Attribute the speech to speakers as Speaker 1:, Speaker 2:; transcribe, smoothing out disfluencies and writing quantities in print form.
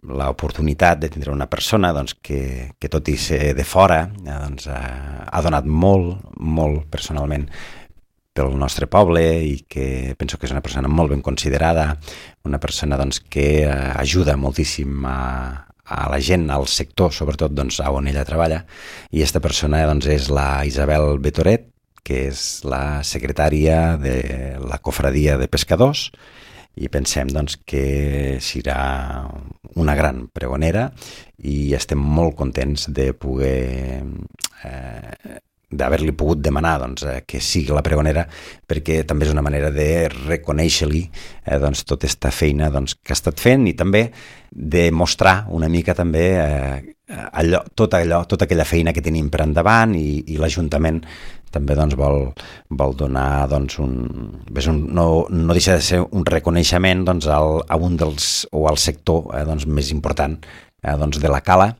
Speaker 1: l'oportunitat de tindre una persona que tot i ser de fora ha donat molt personalment pel nostre poble i que penso que és una persona molt ben considerada, una persona que ajuda moltíssim a la gent, al sector, sobretot on ella treballa, i aquesta persona és la Isabel Betoret, que és la secretària de la cofradia de pescadors, i pensem que serà una gran pregonera i estem molt contents de poder d'haver-li pogut demanar que sigui la pregonera, perquè també és una manera de reconèixer-li tota aquesta feina que ha estat fent i també de mostrar una mica també tota aquella feina que tenim per endavant i l'Ajuntament també vol donar no deixa de ser un reconeixement a un dels o al sector més important de la cala,